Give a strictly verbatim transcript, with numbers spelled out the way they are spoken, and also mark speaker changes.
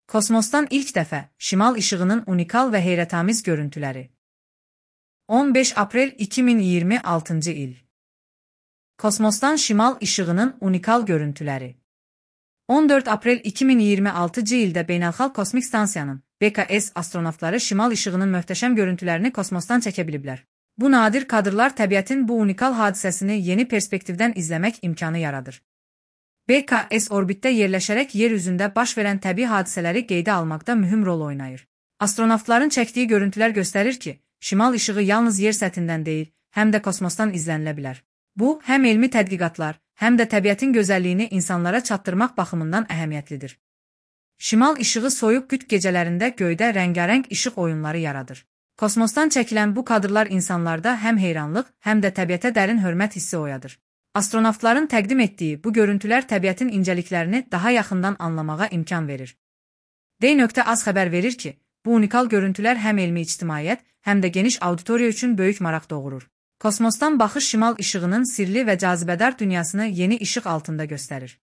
Speaker 1: Kosmosdan ilk dəfə şimal işığının unikal və heyrətamiz görüntüləri. on beş aprel iki min iyirmi altıncı il. Kosmosdan şimal işığının unikal görüntüləri. on dörd aprel iki min iyirmi altıncı ildə Beynəlxalq Kosmik Stansiyanın B K S astronavtları şimal işığının möhtəşəm görüntülərini kosmosdan çəkə biliblər. Bu nadir kadrlar təbiətin bu unikal hadisəsini yeni perspektivdən izləmək imkanı yaradır. B K S orbitdə yerləşərək yer üzündə baş verən təbii hadisələri qeydə almaqda mühüm rol oynayır. Astronavtların çəkdiyi görüntülər göstərir ki, şimal işığı yalnız yer səthindən deyil, həm də kosmosdan izlənilə bilər. Bu, həm elmi tədqiqatlar, həm də təbiətin gözəlliyini insanlara çatdırmaq baxımından əhəmiyyətlidir. Şimal işığı soyuq qütb gecələrində göydə rəngarəng işıq oyunları yaradır. Kosmosdan çəkilən bu kadrlar insanlarda həm heyranlıq, həm də təbiətə dərin hörmət hissi oyadır. Astronavtların təqdim etdiyi bu görüntülər təbiətin incəliklərini daha yaxından anlamağa imkan verir. D.Az xəbər verir ki, bu unikal görüntülər həm elmi ictimaiyyət, həm də geniş auditoriya üçün böyük maraq doğurur. Kosmosdan baxış şimal işığının sirli və cazibədar dünyasını yeni işıq altında göstərir.